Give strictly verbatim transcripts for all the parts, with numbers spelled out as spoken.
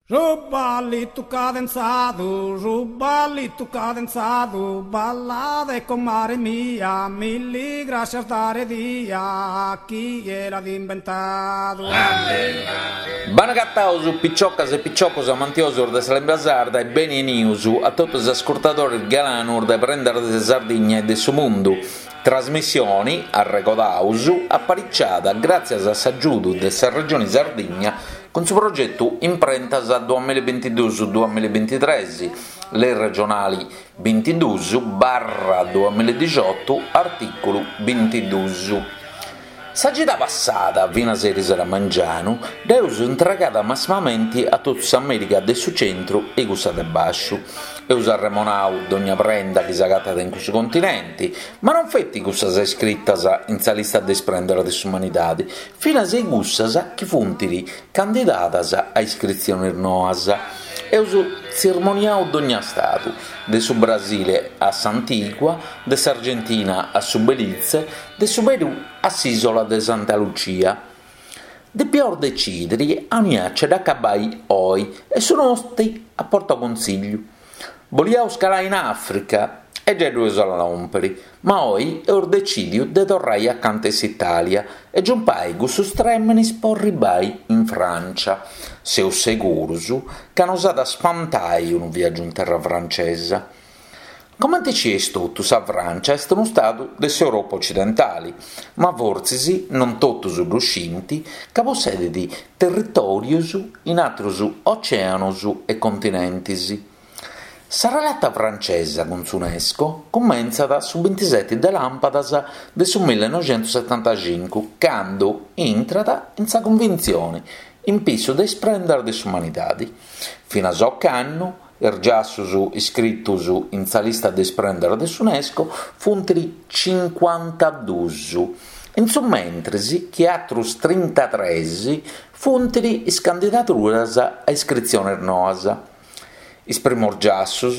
Su ballitu cadenzadu, su ballitu cadenzadu, ballade comare mia, milli grascias dare dia, chie l'at imbentadu. Bene agataus piciocas e piciocos amantiosos de sa limba sarda e beni 'enius a totu is ascurtadores galanus de Prendas de Sardigna e de su Mundu, trasmissioni, arregodaus, apariciada gràtzias a s'agiudu de sa Regioni Sardigna cun su progetu Imprentas duamilla e bintiduus duamilla e bintitres, Lei regionali bintiduus barra duamilla e dixiotu, artìculu bintiduus. Sa cida passada, finas a erisero a mangianu, dd'eus intregada massimamenti a totu s'Amèrica de su centru e cussa de bàsciu. Eus arremonau dogna prenda chi s'agatat in cussu continenti, ma non feti cussas iscritas in sa lista de is prendas de s'umanidadi, finas e cussas chi funt candidadas a iscritziones noas. Eus tzirmoniau dogna stadu, de su Brasile a s'Antigua, de s'Argentina a su Belize, de su Perù a s'ìsola de Santa Lucia. Depiaus decidiri aunia nce dd'acabai oi e su noti at portau consìgliu. Boliaus calai in Àfrica e giai ddu eus a lòmpiri, ma oi eus decìdiu de torrai acanta 'e s'Itàlia e giumpai cussus trèmenis po arribai in Frància. Seus segurus ca nos at a spantai unu viàgiu in terra francesa. Comente scieis totus sa Frància est unu stadu de s'Europa ocidentali, ma fortzis non totus ddu scint ca possedit territòrios in àteros ocèanos e continentes. Sa relata francesa cun s'Unesco cumentzat su bintiseti de làmpadas de su millenoixentussetantacincu, cando intrat in sa Cunventzione in pissu de is prendas de s'umanidade. Finas a ocannu is giassos iscritos in sa lista de is prendas de s'Unesco funt cincuantaduus, in su mentres chi àteros trintatres funt is candidaduras a iscritziones noas. Is primos giassos,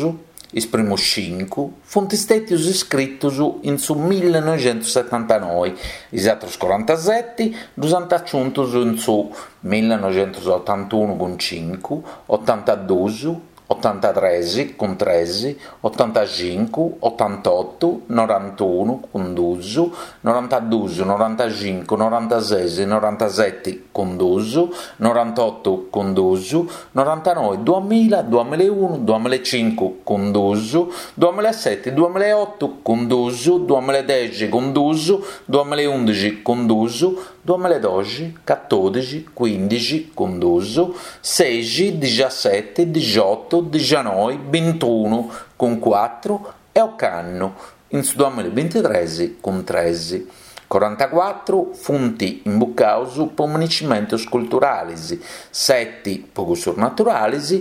is primos cincu, funt istètios iscritos in su millenoixentussetantanoe, is àteros corantaseti ddos ant aciuntos in su millenoixentusotantunu cun cincu, otantaduos, otantatres cun tres, otantacincu, otantotu, norantunu cun duos, norantaduos, norantacincu, norantases, norantaseti cun duos, norantotu cun duos, norantanoe, duamilla, duamilla e unu, duamilla e cincu cun duos, duamilla e seti, duamilla e otu cun duos, duamilla e dexi cun duos, duamilla e undixi cun duos, duamilla e doxi, catòdixi, cuindixi cun duos, seixi, dixaseti, dixiotu, dixanoi, bintunu cun cuatru e ocannu, in su duamilla e bintitres, cun tres. Corantacuatru funt imbucados pro minescimentos culturales, seti pro cussos naturales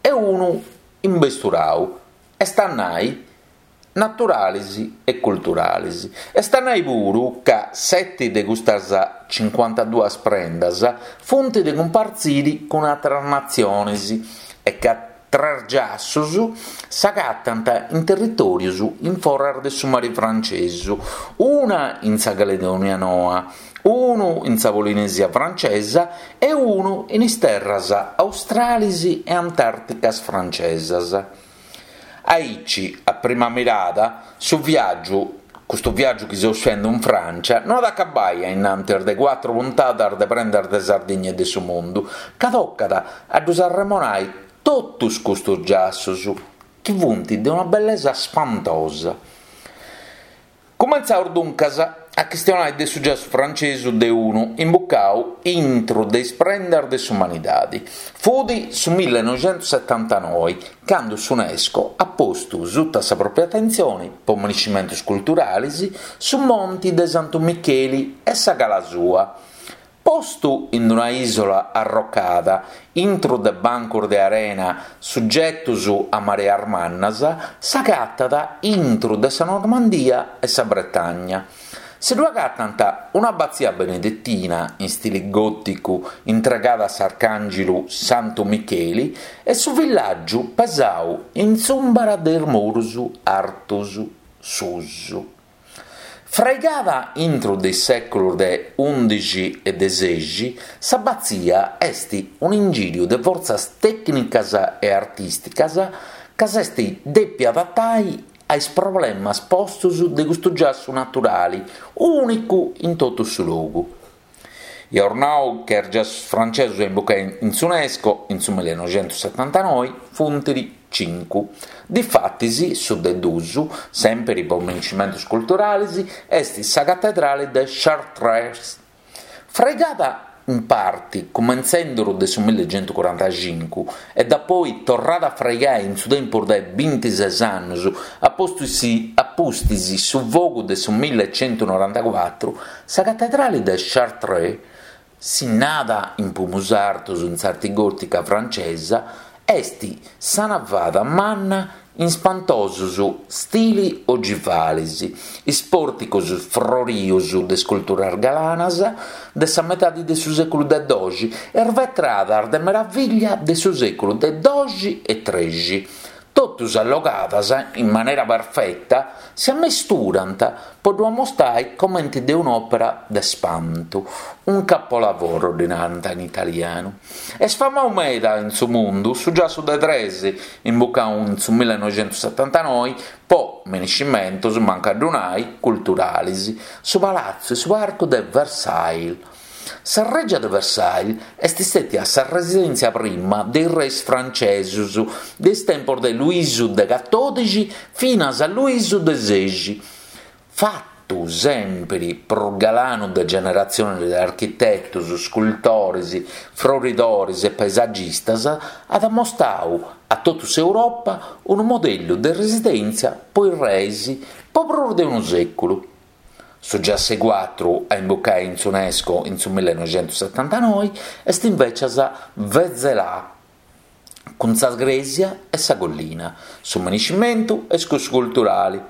e unu imbesturadu, est a nai naturales e culturales. Est a nai puru ca seti de custas cincuantaduas prendas funt de cumpartzire cun àteras natziones e ca tres giassos s'agatant in territòrios in foras de su mare frantzesu, una in sa Caledònia Noa, unu in sa Polinèsia francesa e unu in is terras australes e antàrticas francesas. Aici, a prima mirada, su viàgiu, custu viàgiu chi seus fende in Frància, no at a acabai a innantis de cuatru puntadas de Prendas de Sardigna e de su Mundu, ca tocat a ddos arremonai totus custos giassos, chi funt de una bellesa spantosa. Cumentzaus duncas a chistionai de su giassu francesu de unu imbucau intro de is prendas de s'umanidade. Fut su millenoixentussetantanoe, cando s'Unesco at postu suta sa pròpia atentzione, pro minescimentos culturales, su Monti de Santu Micheli e sa cala sua. Postu in una ìsola arrocada, intro de bancos de arena sugetos a mareas mannas, s'agatat intro de sa Normandia e sa Bretagna. Si ddu agatant un'abbatzia benedetina in stili gòticu intregada a s'arcàngelu Santu Micheli e su villàgiu pesadu in s'ùmbra de is muros artos suos. Fraigada intro de is sèculos de ùndixi e de sexi, s'abbatzia est un'ingìriu de fortzas tècnicas e artìsticas ca s'est dèpia adatai a is problemas postos de custu giassu naturale, ùnicu in totu su logu. Iaus nau ca is giassus francesos a imbucai in s'UNESCO in su millenoixentusetantanoe funt cincu. Difatis su de duus, sèmpiri po minescimentos culturales, est sa catedrale de Chartres. Fraigada in parte cumentzende de su millecentucorantacincu e dapoi torrada a fraigai in su tempus de bintises annos a pustis su fogu de su millecentunorantacuatru, sa catedrale de Chartres, sinnada in pumus artos in s'arte gòtica francesa, est sa navada manna in ispantosos stili ogivales, is pòrticos froridos de isculturas galanas de sa metade de su sèculu de doxi e is vetradas de meravìllia de su sèculu de doxi e trexi, totus allogadas in manera perfeta, si ammesturant pro ddu ammostare comente de un'òpera de spantu, un capolavoro ddi narant in italianu. Est famadu meda in su mundu su giassu de tres, imbucadu in su millenoixentusetantanoe pro minescimentos, mancu a ddu nai, culturales, su palatzu e su parcu de Versailles. Sa règia de Versailles est istètia sa residèntzia prima de is reis francesos de is tempos de Luisu de catòdixi finas a Luisu de sexi. Fatu sèmpiri prus galanu de generatziones de architetos, iscultores, froridores e paesagistas, at ammostadu a totu s'Europa unu modellu de residèntzia pro is reis pro prus de unu sèculu. Su giassu cuatru a imbucai in s'UNESCO in su millenoixentusetantanoe est invècias Vézelay, cun sa crèsia e sa collina. Su minescimentu est cussu culturale.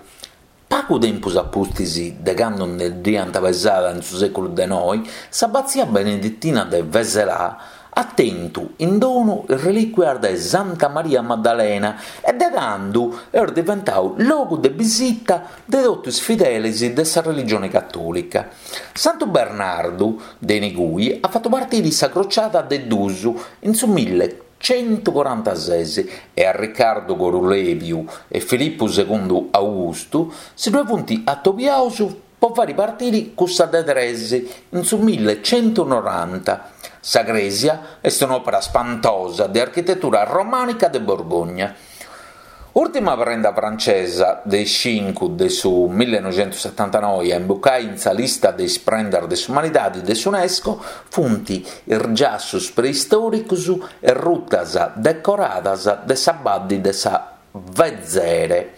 Pagu tempus a pustis de cando nde dd'iant pesada in su sèculu de noe, s'abbatzia beneditina de Vézelay at tentu in donu is relìcuias de Santa Maria Maddalena e de tando est diventadu logu de bisita de totu is fideles de sa religione catòlica. Santu Bernardu de inigui at fatu partire sa crociada de duus in su millecentucorantases e a Ricardu Corulebiu e Filipu segundu Augustu si ddoe funt atobiados pro fàghere partire cussa de tres in su millecentunoranta. Sa crèsia est un'òpera spantosa de architetura romànica de Borgogna. Ùrtima prenda francesa de is cincu de su millenoixentusetantanoe a imbucai in sa lista de is prendas de s'umanidade de s'UNESCO funt is giassos preistòricos e rutas decoradas de sa Badde de sa Vézère.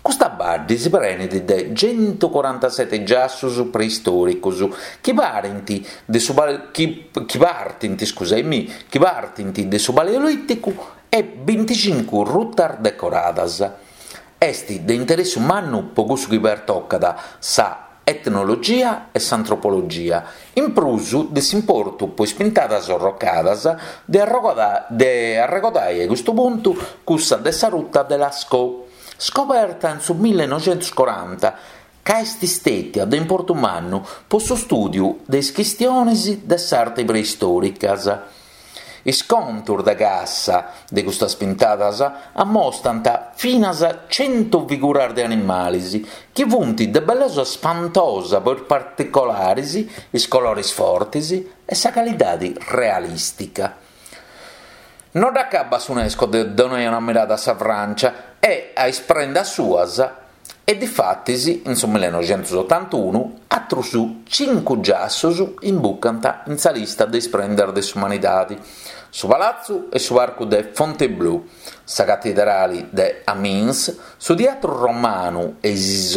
Custa badde si prenet de centucorantasete giassos preistòricos chi parent de su chi, chi partint, scusaimi, chi partint de su Paleolìticu e binticincu rutas decoradas. Est de interessu mannu pro cussu chi pertocat sa etnologia e s'antropologia, in prus de s'importu pro is pintadas orrocadas de de arregodai a custu puntu cussa de sa ruta de Lascaux, scoberta in su millenoixentucoranta, ca est istètia de importu mannu pro su stùdiu de is chistiones de s'arte preistòricas. Is contos de cassa de custas pintadas ammostant finas cento figuras de animales chi funt de bellesa spantosa pro is particolares, is colores fortes e sa calidade realìstica. Non dd'acabbat s'UNESCO de donare una mirada a sa Francia e a is prendas suas e difatis in su millenoixentuotantunu àteros cincu giassos imbucant in sa lista de is prendas de s'umanidade. Su palatzu e su parcu de Fontainebleau, sa catedrale de Amiens, su teatru romanu e is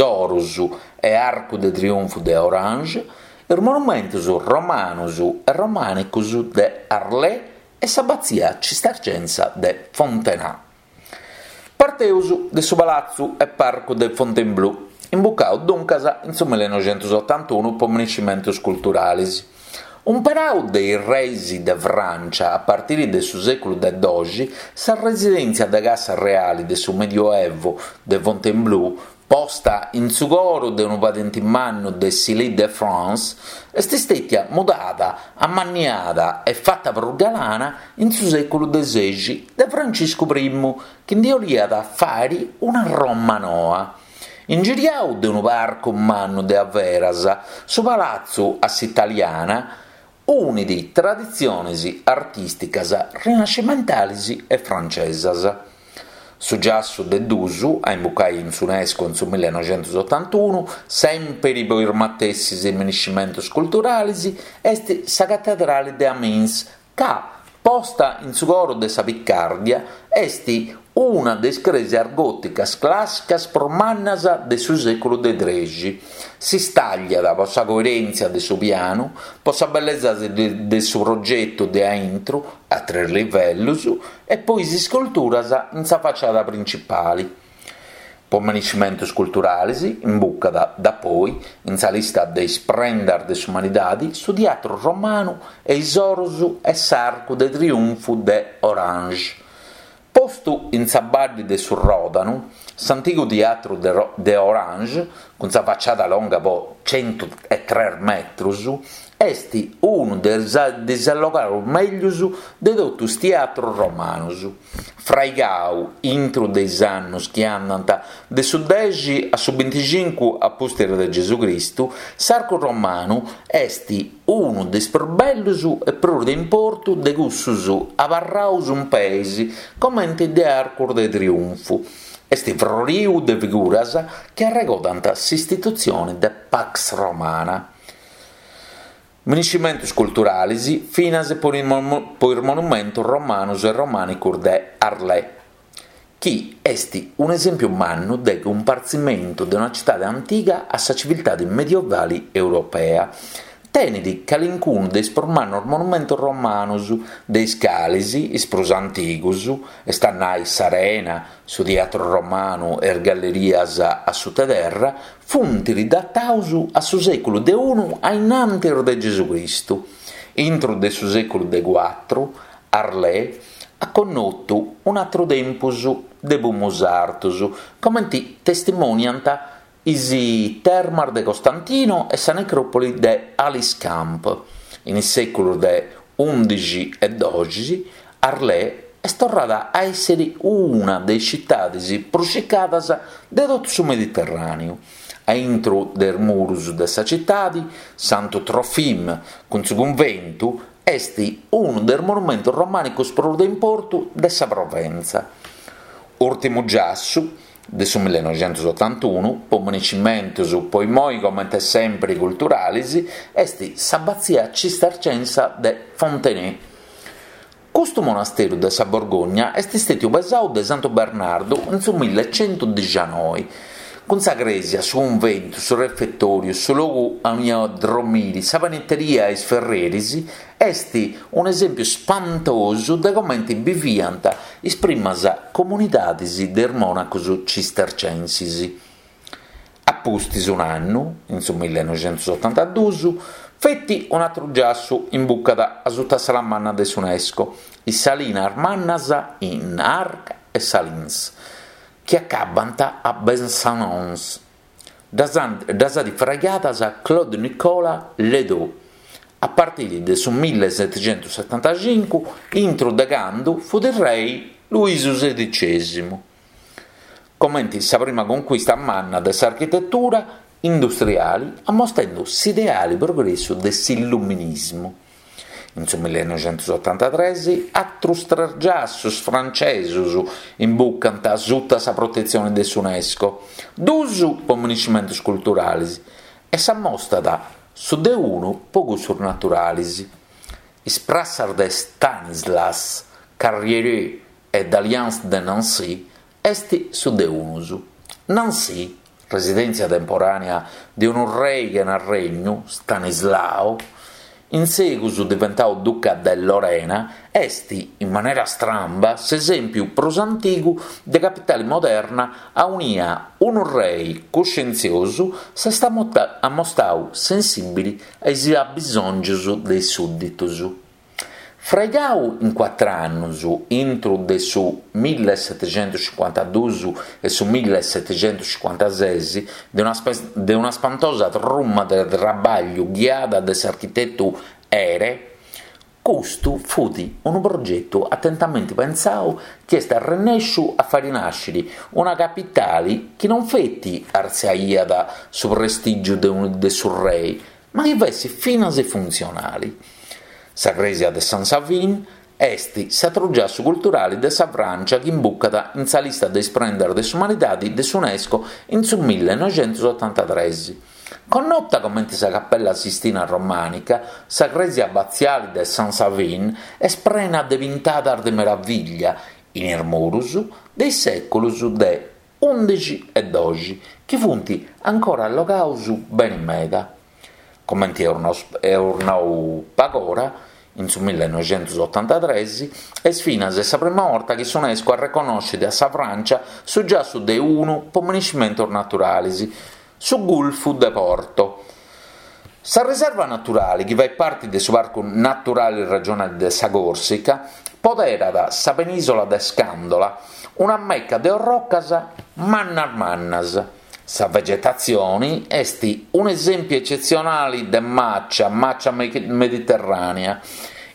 oros e arcu de triunfu de Orange, is monumentos romanos e romànicos de Arles e s'abbatzia cistercensa de Fontenay. Parteus de su palatzu e parcu de Fontainebleau, imbucadu duncas in su millenoixentuotantunu pro minescimentos culturales. Umperadu de is reis de Francia a partire de su sèculu de doxi, sa residèntzia de cassa reale de su Medioevo de Fontainebleau, Posta in su coro de unu padente mannu de s'Île-de-France, est istètia mudada, ammanniada e fata prus galana in su sèculu de sexi de Franciscu Primu, chi ndi 'oliat fàere una Roma noa. Ingiriadu de unu parcu mannu de averas, su palatzu a s'italiana unit traditziones artìsticas rinascimentales e francesas. Su giassu de dus, a imbucai in s'UNESCO in su millenoixentusotantunu, sèmpere pro is matessis miniscimentos culturales, est sa catedrale de Amiens, ca, posta in su coro de sa Picardia, est una de is crèsias gòticas clàssicas prus mannas de su sèculu de trexi. Si stàgliat pro sa coerèntzia de su pianu, pro sa bellesa de, de su progetu de a intro, a tres livellos, e pro is isculturas in sa faciada principale. Pro miniscimentos culturales, imbucat da poi, in sa lista de is prendas de s'umanidade, su Teatru Romanu e is oros e s'Arcu de Triunfu de Orange. Postu in sa badde de su Ròdanu, s'antigu teatru de, de Orange, cun sa faciada longa po cento e tres metros, est unu de is allogados mègius de totu is teatros romanos. Fraigadu intro de is annos chi andant de su dexi a su binticincu a pustis de Gesù Cristu, s'arcu romanu est unu de is prus bellos e prus de importu de cussos abarrados in peis, comente de arcos de triunfu. Est froridu de figuras chi arregodant s'istitutzione de Pax Romana. Miniscimentos culturales finas pro is monumentos romanos e romànicos de Arles, chi est un'esèmpiu mannu de cumpartzimentu de una tzitade antiga a sa civiltade medievale europea. Tenet calincunu de is prus mannos monumentos romanos, de is cales is prus antigos, est a nai s'Arena, su Teatru Romanu e is gallerias a suttaterra, funt datados a su sèculu de unu a innantis de Gesù Cristu. Intro de su sèculu de cuatru, Arles at connotu un'atru tempus de pumus artos, comente testimoniant is termas de Costantino e sa necròpoli de Aliscamp. In is sèculos de undixi e doxi, Arles est torrada a èssere una de is tzitades prus circadas de totu su Mediterràneu. A intro de is muros de sa tzitade, Santo Trofim, cun su cunventu, est unu de is monumentos romànicos prus de importu de sa Proventza. Ùrtimu giassu de su millenoixentusotantunu, pro miniscimentos, pro immoi comente sempre culturales, est s'abbazia cistercensa de Fontenay. Custu monasteru de sa Borgogna est istètiu pesadu de Santo Bernardo in su millecentodicianoi. Cun sa crèsia, su cunventu, su refetòriu, su logu aunia dromire, sa panetteria e is ferreris, est un'esèmpiu spantosu de comente biviant is primas comunidades de is monacos cistercensis. A pustis un'annu, in su millenoixentusotantadus, feti un'atru giassu imbucat a sutta sa manna de s'UNESCO, is Salinas Mannas in Arc e Salins, chi acabant a Besançon. Ddas at fraigadas Claude Nicolas Ledoux, a partire de su millesettentosettantacincu, intro de cando fu rei Luisu sedicesimu. Comente sa prima conquista manna de s'architetura industriale, ammostrende s'ideale progressu de s'illuminismu. In su millenoixentusottantatres, atros tres giassos francesos imbucant sutta sa protetzione de s'UNESCO, dus pro miniscimentos culturales e s'ammostat su de unu pro cussos naturales. Is prassas de Stanislas, Carrier e d'Alliance de Nancy est su de unus. Nancy, residèntzia temporànea de unu rei chena regnu, Stanislao, in segus diventadu duca de Lorena, est, in manera stramba, s'esèmpiu prus antigu de capitale moderna aunia unu rei cuscientziosu s'est ammostadu sensìbile a is abbisòngios de is sùdditos. Fraigau in cuatru annus, intru de su millisetexentuscincuantaduus e su millisetexentuscincuantases, de una de una spantosa truma de traballu ghiada de s'architetu Ere, custu fut unu progetu atentamenti pensau chi est arrennèsciu a fàere nàscere una capitale chi non feti artziaiat su prestìgiu de, un, de su rei, ma chi fessit finas funtzionale. Sa crèsia de San Savin est s'atru giassu culturale de sa Frància chi imbucat in sa lista de is prendas de s'umanidade de s'UNESCO in su millenoixentusotantatrès. Connota comente sa Capella Sistina Romànica, sa crèsia abatziale de San Savin est prena de pintadas de meravìllia in is muros de is sèculos de ùndixi e doxi, chi funt ancora allogados bene meda. Comente eus nau pagora, in su millenoixentusotantatrès, est finas sa prima borta chi s'UNESCO arreconnoschet a sa Frància su giassu de unu po minescimentos naturales, su Gulfu de Porto. Sa riserva naturale, chi fait parte de su Parcu Naturale Regionale de sa Còrsica, poderat sa penìsola de Scandola, una mecca de orrocas mannas mannas. Sa vegetatzione est un'esèmpiu ecetzionale de màcia, màcia mediterrànea.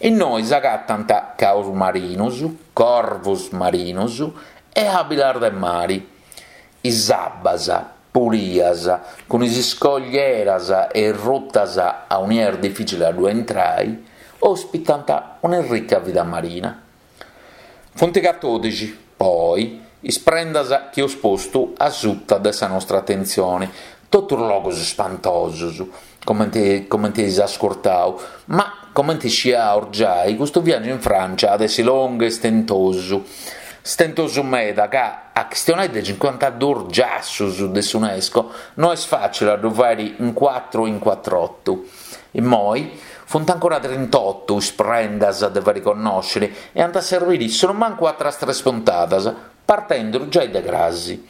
Innoi s'agatant caos marinos, corvos marinos e àbilas de mare. Is abbas, pulias, cun is iscoglieras e rutas aunia est difìcile a ddu intrare, ospitant una ricca vida marina. Funt catòdixi, poi, is prendas chi eus postu a suta de sa nostra atentzione, totus logos spantosos, comente, comente eis ascurtau, ma comente sciaus giai, custu viàgiu in Frància at essi longu e stentosu. Stentosu meda ca a chistionai de cincuantaduus giassus de s'UNESCO no est fàcile a ddu fàere in cuatru o in cuatr'otu. Immoi funt ancora trintotto is prendas de fàere connòscere e ant a servire sonumancu atras tres puntadas, partendu giai de crasi.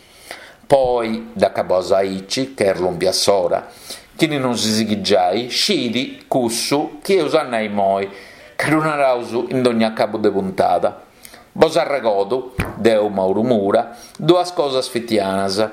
Poi dd'acabaus aici, ca est lòmpia s'ora. Chini non si sighit giai, scit cussu chi eus a nai immoi, ca ddu naraus in dogna acabu de puntada. Bos arregodu, deu Mauru Mura, duas cosas fitianas.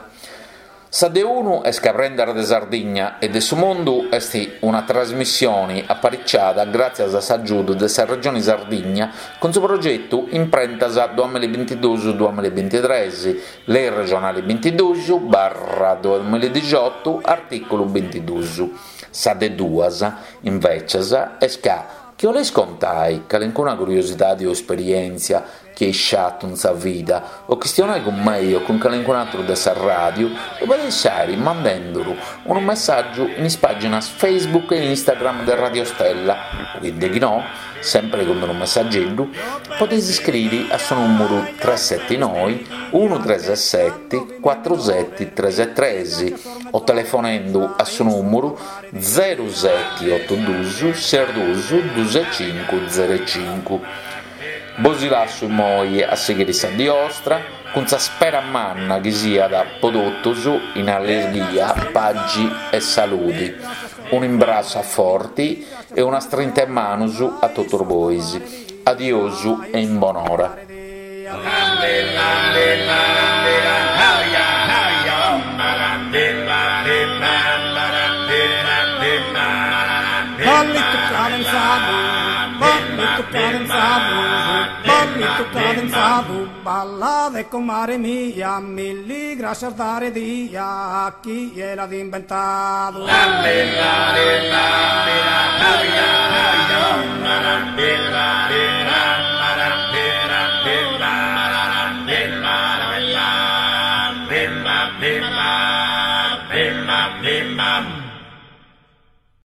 Sa de unu est ca Prendas de Sardigna e de su Mundu est una trasmissione apariciada gràtzias a s'agiudu de sa Regione Sardigna cun su progetu Imprentas duamillabintiduus duamillabintitrès, Lei regionale bintiduus barra duamilladixotu, artìculu bintiduus. Sa de duas, invècias, est ca chi 'oleis contai calincuna curiosidade o esperièntzia chi eis sciatu in sa vida o chistionai cun mei o cun calincun'atru de sa ràdiu, ddu podeis fàere mandenduru unu messàgiu in is pàginas Facebook e Instagram de Radio Stella o chi de chi no, sempre cun unu messageddu, podeis iscriri a su nùmeru tres seti noi unu tres seti cuatru seti tres tres o telefonendu a su nùmeru zeru seti otu duus ses duus duus e cincu zeru e cincu. Bos lassu immoi a sighire sa die 'ostra cun sa spera manna chi siat po totus in allegria, pagi e saludi. Un'imbrassu a forti e una strinta 'e manus a totus bois. Adiosu e in bonora. Ballito cadenzado, ballito cadenzado, ballito cadenzado, balla de comare mia, milli gracias dare dia a chi l'ha inventado.